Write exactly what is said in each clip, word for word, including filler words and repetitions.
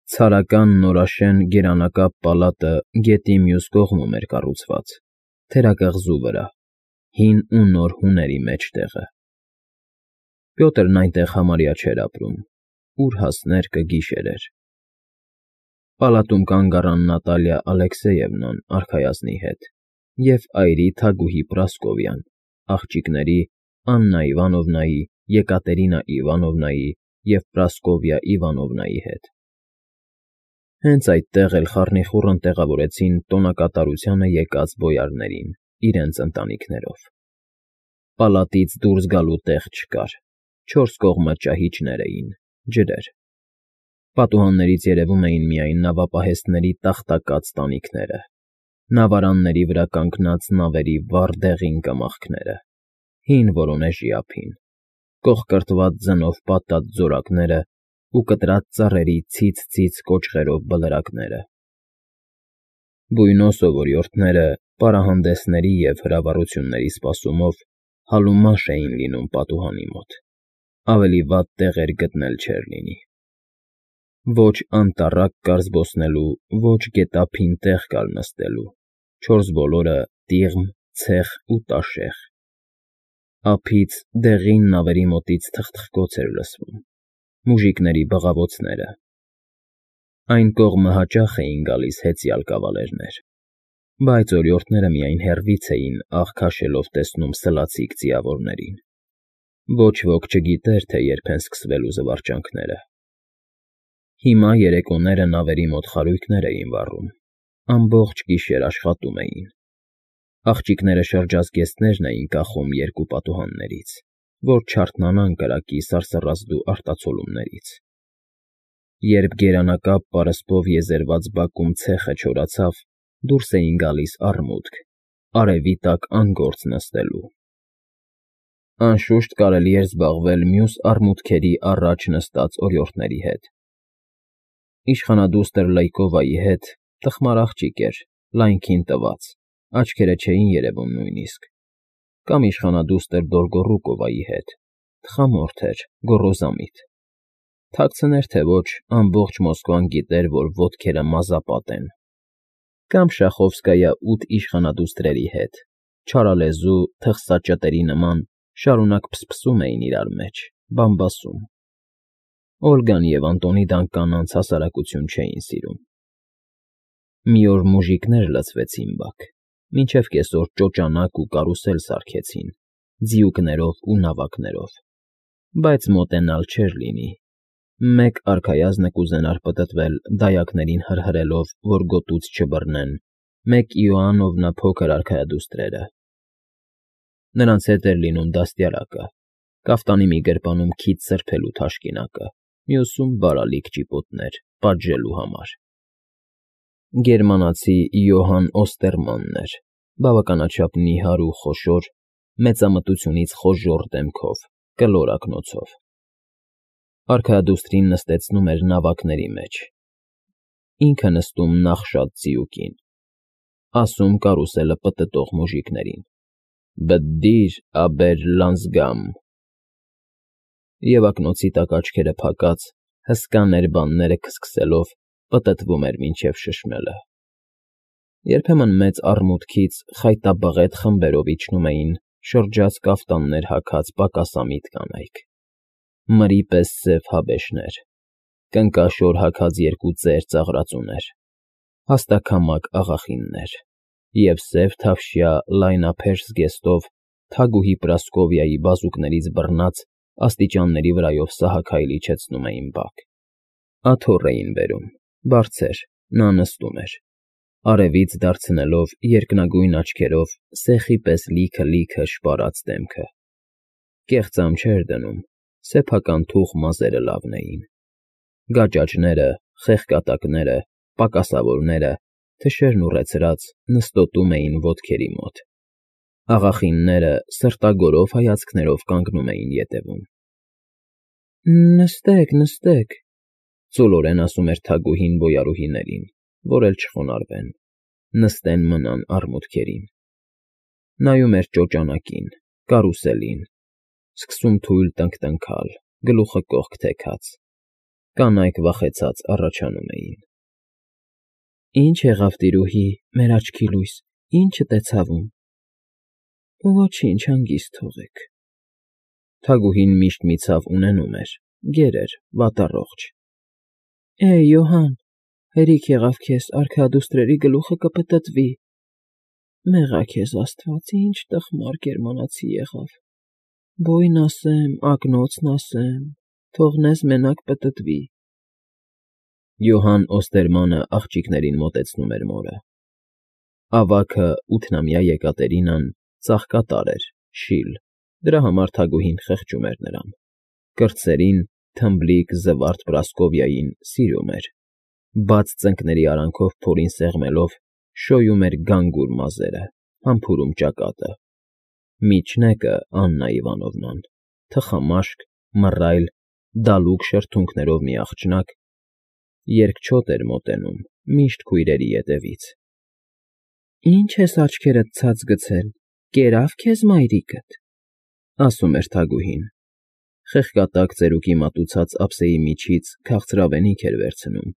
Ցարական նորաշեն գերանակապ պալատը գետի մյուս կողմում էր կառուցված, թերակղզու վրա, հին ու նոր հուների մեջտեղը։ Պյոտրն այնտեղ համարյա չէր ապրում, ուր հասներ կգիշերեր էր։ Պալատում կանգ առան Նատալիա Ալեքսեևնան արքայազնի հետ և այրի թագուհի Պրասկովյան, աղջիկների՝ Աննա Իվանովնայի, Եկատերինա Իվանովնայի և Պրասկովյա Իվանովնայի հետ։ Հենց այդտեղ էլ խառնիխուռն տեղավորեցին տոնակատարությանը եկած բոյարներին իրենց ընտանիքներով։ Պալատից դուրս գալու տեղ չկար, չորս կողմը ճահիճներ էին, ջրեր։ Պատուհաններից երևում էին միայն նավապահեստների տախտակած տանիքները, նավարանների վրա կանգնած նավերի վառ դեղին կմախքները, հին Վորոնեժի ափին, կոխկրտված ձնով պատած ձորակները ու կտրած ծառերի ցից֊ցից կոճղերով բլրակները։ Բույնո սովորյորդները պարահանդեսների և հրավառությունների սպասումով հալումանշ էին լինում պատուհանի մոտ, ավելի վատ տեղեր գտնել չէր լինի։ Ոչ անտառակ կար զբոսնելու, ոչ գետափին տեղ կար նստելու, չորս բոլորը տիղմ, ցեխ ու տաշեղ։ Ափից, դեղին նավերի մոտից թխթխկոց էր լսվում, մուժիկների բղավոցները։ Այն կողմը հաճախ էին գալիս հեծյալ կավալերներ, բայց օրիորդները միայն հեռվից էին աղ քաշելով տեսնում սլացիկ ձիավորներին։ Ոչ ոք չգիտեր, թե երբ են սկսվելու զվարճանքները։ Հիմա երեկոները նավերի մոտ խարույկներ էին վառում, ամբողջ գիշեր աշխատում էին։ Աղջիկները շրջազգեստներն էին կախում երկու պատուհաններից, որ չարթնանան կրակի սարսռազդու արտացոլումներից։ Երբ գերանակապ պարսպով եզերված բակում ցեխը չորացավ, դուրս էին գալիս առմուտք, արևի տակ անգործ նստելու։ Անշուշտ կարելի էր զբաղվել մյուս առմուտքերի առաջ նստած օրիորդների հետ։ Իշխանադուստր Լյկովայի հետ տխմար աղջիկ էր, լայնքին տված, աչքերը չէին երևում նույնիսկ, կամ իշխանադուստր Դոլգոռուկովայի հետ, տխամորթ էր, գոռոզամիտ։ Թաքցներ թե ոչ, ամբողջ Մոսկվան գիտեր, որ ոտքերը մազապատ են։ Կամ Շախովսկայա ութ իշխանադուստրերի հետ, չարալեզու, թխսաճտերի նման, շարունակ փսփսում էին իրար մեջ, բամբասում։ Օլգան և Անտոնիդան կանանց հասարակություն չէին սիրում։ Մի օր մուժիկներ լցվեցին բակ, մինչև կեսօր ճոճանակ ու կարուսել սարքեցին, ձիուկներով ու նավակներով, բայց մոտենալ չէր լինի։ Մեկ արքայազնը կուզենար պտտվել դայակներին հրհրելով, որ գոտուց չբռնեն, մեկ Իոաննովնա փոքր արքայադուստրերը։ Նրանց հետ էր լինում դաստիարակը, կաֆտանի մի գրպանում քիթ սրբելու թաշկինակը, մյուսում բարալիկ ճիպոտներ՝ պատժելու համար։ Գերմանացի Յոհան Օստերմանն էր, բավականաչափ նիհար ու խոշոր, մեծամտությունից խոժոռ դեմքով, կլոր ակնոցով։ Արքայադուստրին նստեցնում էր նավակների մեջ, ինքը նստում նախշած ձիուկին, ասում կարուսելը պտտող մուժիկներին. «Բդդիր, աբեր լանզգամ»։ Եվ ակնոցի տակ աչքերը փակած, հսկա ներբանները քսքսելով պտտվում էր մինչև շշմելը։ Երբեմն մեծ առմուտքից խայտաբղետ խմբերով իջնում էին շրջած կաֆտաններ հագած պակասամիտ կանայք, մրի պես սև հաբեշներ, կնկաշոր հագած երկու ծեր ծաղրածուներ, հաստաքամակ աղախիններ և սև թավշյա լայնափեշ զգեստով թագուհի Պրասկովիայի բազուկներից բռնած աստիճանների վրայով սահաքայլ իջեցնում էին բակ։ Աթոռ էին բերում, բարձր, նա նստում էր, արևից դարձնելով երկնագույն աչքերով սեխի պես լիքը֊լիքը շպարած դեմքը։ Կեղծամ չէր դնում, սեփական թուխ մազերը լավն էին։ Գաճաճները, խեղկատակները, պակասավորները, թշերն ուռեցրած, նստոտում էին ոտքերի մոտ։ Աղախինները սրտագորով հայացքներով կանգնում էին ետևում։ «Նստեք, նստեք», ծուլորեն ասում էր թագուհին բոյարուհիներին, որ էլ չխոնարհվեն, նստեն մնան առմուտքերին։ Նայում էր ճոճանակին, կարուսելին, սկսում թույլ տնկտնքալ, գլուխը կողք թեքած, Կանայք վախեցած առաջանում էին։ Ի՞նչ եղավ, տիրուհի, մեր աչքի լույս, ի՞նչդ է ցավում։ Ոչինչ, հանգիստ թողեք։ Թագուհին միշտ մի ցավ ունենում էր, գեր էր, վատառողջ։ Է՜, Յոհան, հերիք եղավ քեզ, արքայադուստրերի գլուխը կպտտվի։ Մեղա քեզ Աստված, ինչ տխմար գերմանացի եղավ։ Բոյն ասեմ, ակնոցն ասեմ, թողնես մենակ պտտվի։ Յոհան Օստերմանը աղջիկներին մոտեցնում էր մորը։ Ավագը ութնամյա Եկատերինան ծաղկատար էր, շիլ, դրա համար թագուհին խղճում էր նրան։ Կրտսերին, թմբլիկ, զվարթ Պրասկովիային սիրում էր։ Բաց ծնկների արանքով փորին սեղմելով շոյում էր գանգուր մազերը, համբուրում ճակատը։ Միջնեկը Աննա Իվանովնան, թխամաշկ, մռայլ, դալուկ շրթունքներով մի աղջնակ, երկչոտ էր մոտենում, միշտ քույրերի ետևից։ Ի՞նչ ես աչքերդ ցած գցել, կերավ քեզ մայրիկդ, ասում էր թագուհին։ Խեղկատակ ծերուկի մատուցած ափսեի միջից քաղցրավենիք էր վերցնում,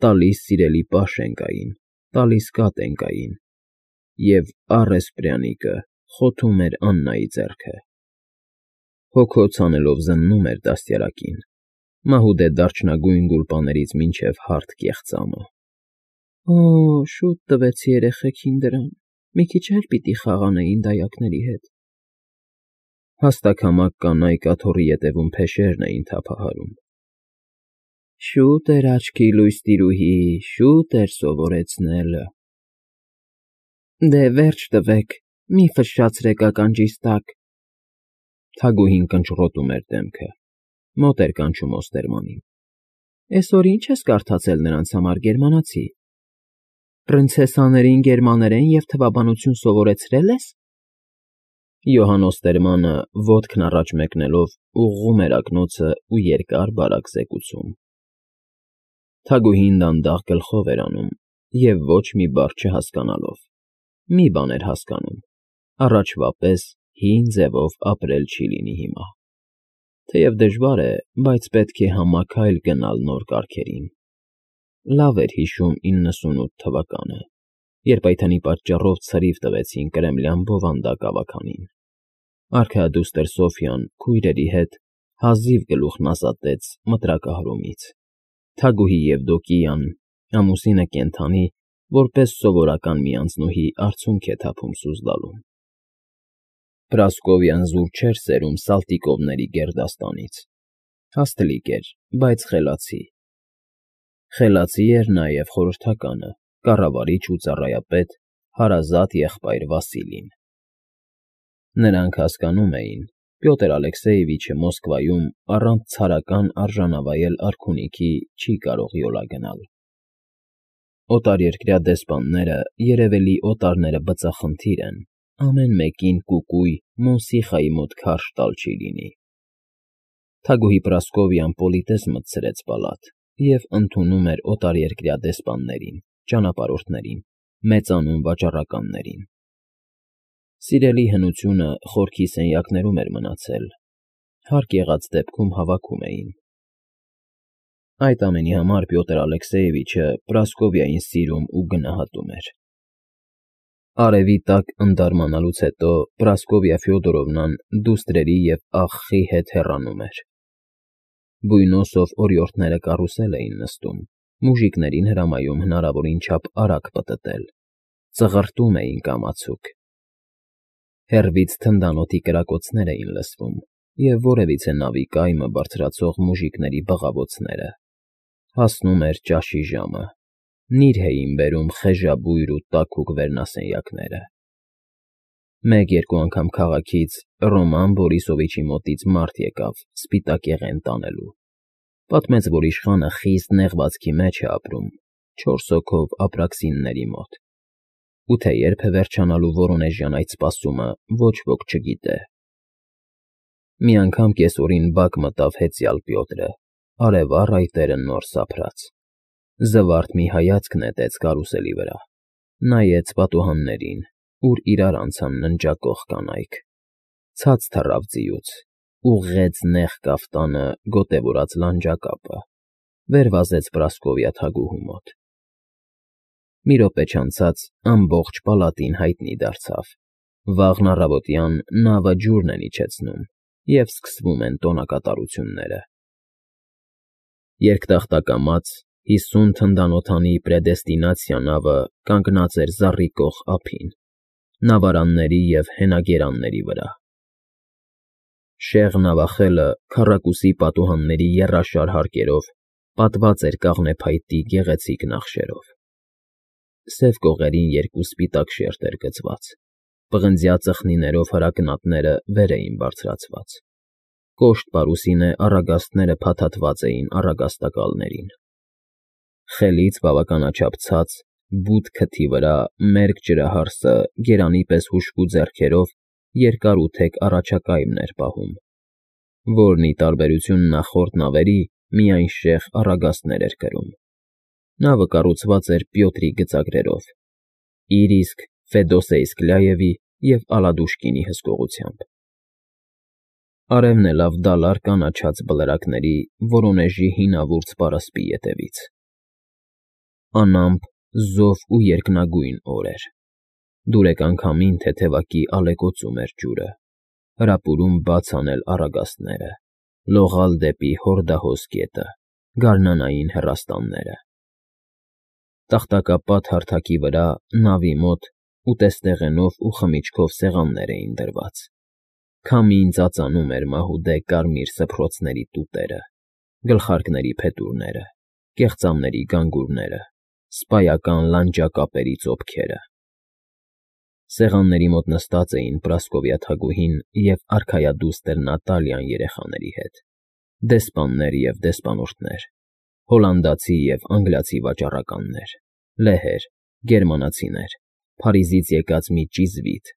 տալիս սիրելի Պաշենկային, տալիս Կատենկային, և առեսպրյանիկը խոթում էր Աննայի ձեռքը։ Հոգոց անելով զննում էր դաստիարակին, մահուդե դարչնագույն գուլպաներից մինչև հարթ կեղծամը։ Օ՜, շուտ տվեցի երեխեքին դրան, մի քիչ էլ պիտի խաղանեին դայակների հետ։ Հաստաքամակ կանայք աթոռի ետևում փեշերն էին թափահարում։ Շուտ էր աչքի լույս, տիրուհի, շուտ էր սովորեցնելը։ Դե վերջ տվեք, մի ֆշշացրեք ականջիս տակ։ Թագուհին կնճռոտում էր դեմքը, մոտ էր կանչում Օստերմանին։ Էսօր ի՞նչ ես կարդացել նրանց համար, գերմանացի։ Պրինցեսաներին գերմաներեն և թվաբանություն սովորեցրե՞լ ես։ Յոհան Օստերմանը ոտքն առաջ մեկնելով ուղղում էր ակնոցը ու երկար֊բարակ զեկուցում։ Թագուհին դանդաղ գլխով էր անում և ոչ մի բառ չհասկանալով։ Մի բան էր հասկանում. առաջվա պես հին ձևով ապրել չի լինի հիմա։ Թեև դժվար է, բայց պետք է համաքայլ գնալ նոր կարգերին։ Լավ էր հիշում իննսունութ թվականը, երբ այդ հնի պատճառով ցրիվ տվեցին կրեմլյան բովանդակ ավագանին։ Արքայադուստր Սոֆյան քույրերի հետ հազիվ գլուխն ազատեց մտրակահարումից։ Թագուհի Եվդոկիան, ամուսինը կենդանի, որպես սովորական մի անձնուհի արցունք է թափում Սուզդալում։ Պրասկովյան զուր չէր սերում Սալտիկովների գերդաստանից։ Հաստլիկ էր, բայց խելացի։ Խելացի էր նաև խորհրդականը, կառավարիչ ու ծառայապետ, հարազատ եղբայր Վասիլին։ Նրանք հասկանում էին, Պյոտր Ալեքսեևիչը Մոսկվայում առանց ցարական արժանավայել արքունիքի չի կարող յոլա գնալ։ Օտարերկրյա դեսպանները երևելի օտարները բծախնդիր են, ամեն մեկին կուկույ Մոնսիխայի մոտ քարշ տալ չի լինի։ Թագուհի Պրասկովյան պոլիտես մտցրեց պալատ և ընդունում էր օտարերկրյա դեսպաններին, ճանապարհորդներին, մեծանուն վաճառականներին։ Սիրելի հնությունը խորքի սենյակներում էր մնացել, հարկ եղած դեպքում հավաքում էին։ Այդ ամենի համար Պյոտր Ալեքսեևիչը Պրասկովիային սիրում ու գնահատում էր։ Արևի տակ ընդարմանալուց հետո Պրասկովիա Ֆյոդորովնան դուստրերի և աղխի հետ հեռանում էր։ Բույնոսով օրիորդները կարուսել էին նստում, մուժիկներին հրամայում հնարավորին չափ արագ պտտել, ծղրտում էին կամացուկ։ Հեռվից թնդանոթի կրակոցներ էին լսվում և որևիցե նավի կայմը բարձրացող մուժիկների բղավոցները։ Հասնում էր ճաշի ժամը, նիրհ էին բերում խեժաբույր ու տաքուկ վերնասենյակները։ Մեկ֊երկու անգամ քաղաքից Ռոման Բորիսովիչի մոտից մարդ եկավ սպիտակեղեն տանելու։ Պատմեց, որ իշխանը խիստ նեղվածքի մեջ է ապրում, չորս հոգով ապրաքսինների մոտ, ու թե երբ է վերջանալու Վորոնեժյան այդ սպասումը, ոչ ոք չգիտե։ Մի անգամ կեսօրին բակ մտավ հեծյալ Պյոտրը, արևառ այտերը նոր սափրած։ Զվարթ մի հայացք նետեց կարուսելի վրա, նայեց պատուհաններին, ուր իրար անցան ննջակող կանայք, ցած թռավ ձիուց, ուղղեց նեղ կաֆտանը գոտևորած լանջակապը, վեր վազեց Պրասկովյա թագուհու մոտ։ Մի րոպե չանցած ամբողջ պալատին հայտնի դարձավ. վաղն առավոտյան նավը ջուրն են իջեցնում, և սկսվում են տոնակատարությունները։ Երկտախտակամած հիսուն թնդանոթանի Պրեդեստինացիա նավը կանգնած էր զառիկող ափին, նավարանների և հենագերանների վրա։ Շեղ նավախելը քառակուսի պատուհանների եռաշար հարկերով պատված էր կաղնեփայտի գեղեցիկ նախշերով։ Սև կողերին երկու սպիտակ շերտ էր գծված, պղնձյա ծխնիներով հրակնատները վեր էին բարձրացված, կոշտ պարուսինե առագաստները փաթաթված էին առագաստակալներին։ Խելից բավականաչափ ցած, բութ քթի վրա մերկ ջրահարսը գերանի պես հուժկու ձեռքերով երկար ու թեք առաջակայմն էր պահում, որն, ի տարբերություն նախորդ նավերի, միայն շեղ առագաստներ էր կրում։ Նավը կառուցված էր Պյոտրի գծագրերով, իր իսկ Ֆեդոսեյ Սկլյաևի և Ալադուշկինի հսկողությամբ։ Արևն էլավ դալար կանաչած բլրակների Վորոնեժի հինավուրց պարսպի ետևից։ Անամպ, զով ու երկնագույն օր էր։ Դուրեկան քամին թեթևակի ալեկոծում էր ջուրը, հրապուրում բաց անել առագաստները, լողալ դեպի հորդահոս գետը, գարնանային հեռաստանները։ Տախտակապատ հարթակի վրա, նավի մոտ, ուտեստեղենով ու խմիչքով սեղաններ էին դրված։ Քամին ծածանում էր մահուդե կարմիր սփռոցների տուտերը, գլխարկների փետուրները, կեղծամների գանգուրները, սպայական լանջակապերի ծոփքերը։ Սեղանների մոտ նստած էին Պրասկովյա թագուհին և արքայադուստր Նատալիան երեխաների հետ, դեսպաններ և դեսպանորդներ, հոլանդացի և անգլիացի վաճառականներ, լեհեր, գերմանացիներ, Փարիզից եկած մի ճիզվիտ,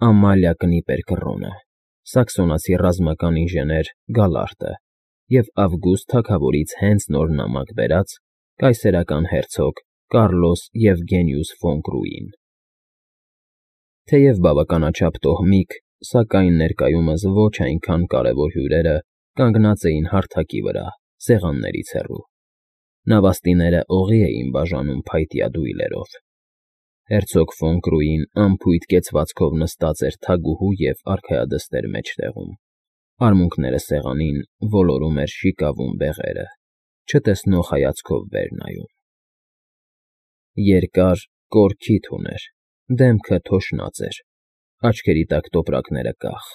Ամալիա Կնիպեր կռոնը, սաքսոնացի ռազմական ինժեներ Գալարտը և Ավգուստ թագավորից հենց նոր նամակ բերած կայսերական հերցոգ Կարլոս Եվգենիուս ֆոն Կրուին։ Թեև բավականաչափ տոհմիկ, սակայն ներկայումս ոչ այնքան կարևոր հյուրերը կանգնած էին հարթակի վրա, սեղաններից հեռու։ Նավաստիները օղի էին բաժանում փայտյա դույլերով։ Հերցոգ ֆոն Կրուին անփույթ կեցվածքով նստած էր թագուհու և արքայադստեր մեջտեղում, արմունկները սեղանին ոլորում էր շիկավուն բեղերը, չտեսնող հայացքով վեր նայում։ Երկար, կոր քիթ ուներ, դեմքը թոշնած էր, աչքերի տակ տոպրակները կախ,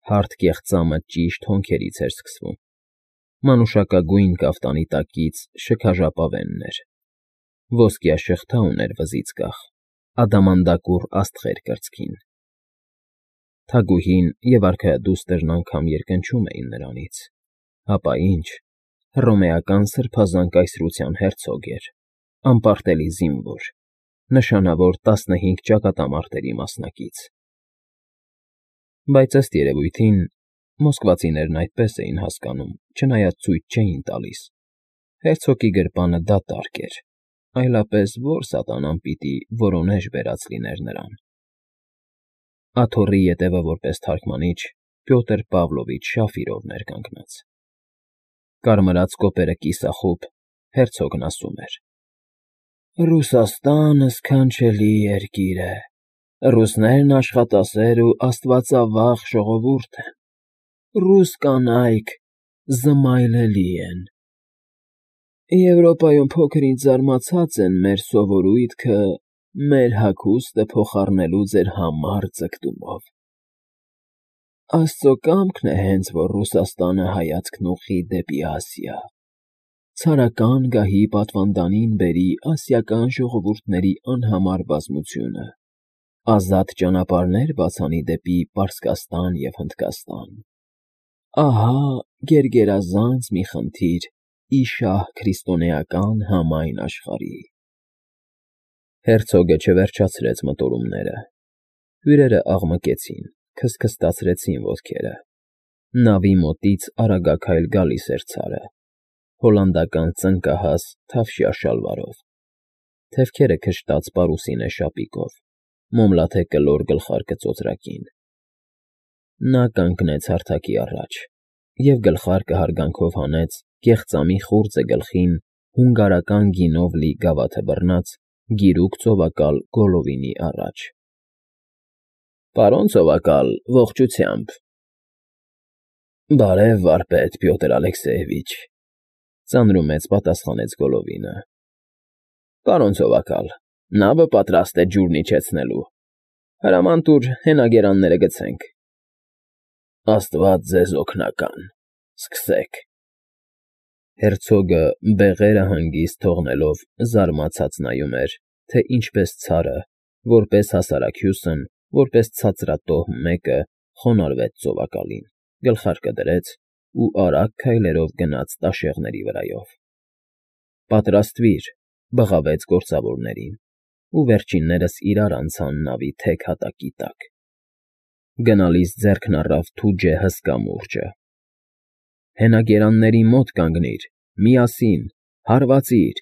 հարթ կեղծամը ճիշտ հոնքերից էր սկսվում, մանուշակագույն կաֆտանի տակից շքաժապավենն էր, ոսկյա շղթա ուներ վզից կախ, ադամանդակուռ աստղեր կրծքին։ Թագուհին և արքայադուստրն անգամ երկնչում էին նրանից, հապա ինչ, հռոմեական սրբազան կայսրության հերցոգ էր, անպարտելի զինվոր, նշանավոր տասնհինգ ճակատամարտերի մասնակից։ Բայց ըստ երևույթին, մոսկվացիներն այդպես էին հասկանում, չնայած ցույց չէին տալիս, հերցոգի գրպանը դատարկ էր, այլապես ո՞ր սատանան պիտի Վորոնեժ բերած լիներ նրան։ Աթոռի ետևը որպես թարգմանիչ Պյոտր Պավլովիչ Շաֆիրովն էր կանգնած։ Կարմրած կոպերը կիսախոտ, հերցոգն ասում էր. «Ռուսաստանը սքանչելի երկիր է, ռուսներն աշխատասեր ու աստվածավախ ժողովուրդ են, ռուս կանայք զմայլելի են։ Եվրոպայում փոքր֊ինչ զարմացած են մեր սովորույթքը մեր հագուստը փոխառնելու ձեր համառ ձգտումով։ Աստծո կամքն է հենց, որ Ռուսաստանը հայացքն ուղղի դեպի Ասիա, ցարական գահի պատվանդանին բերի ասիական ժողովուրդների անհամար բազմությունը, ազատ ճանապարհներ բաց անի դեպի Պարսկաստան և Հնդկաստան։ Ահա գերգերազանց մի խնդիր ի շահ քրիստոնեական համայն աշխարհի»։ Հերցոգը չվերջացրեց մտորումները։ Հյուրերն աղմկեցին, քստքստացրեցին ոտքերը։ Նավի մոտից արագաքայլ գալիս էր ցարը, հոլանդական ծնկահաս թավշյա շալվարով, թևքերը քշտած պարուսինե շապիկով, մոմլաթե կլոր գլխարկը ծոծրակին։ Նա կանգնեց հարթակի առաջ, և գլխարկը հարգանքով հանեց կեղծամի խուրձը գլխին հունգարական գինով լի գավաթը բռնած գիրուկ ծովակալ Գոլլովինի առաջ։ ֊ Պարոն ծովակալ, ողջությամբ։ ֊ Բարև, վարպետ Պյոտր Ալեքսեևիչ,֊ ծանրումեծ պատասխանեց Գոլլովինը։ ֊ Պարոն ծովակալ, նավը պատրաստ է ջուրն իջեցնելու, հրաման տուր հենագերանները գցենք։ ֊ Աստված ձեզ օգնական, սկսեք։ Հերցոգը բեղերը հանգիստ թողնելով զարմացած նայում էր, թե ինչպես ցարը, որպես հասարակ հյուսն, որպես ցածրատոհ մեկը խոնարհվեց ծովակալին, գլխարկը դրեց ու արագ քայլերով գնաց տաշեղների վրայով։ ֊ Պատրաստվիր,֊ բղավեց գործավորներին, ու վերջիններս իրար անցան նավի թեք հատակի տակ։ Գնալիս ձեռքն առավ թուջը հսկա մուրճը։ ֊ Հենագերանների մոտ կանգնիր, միասին, հարվածիր,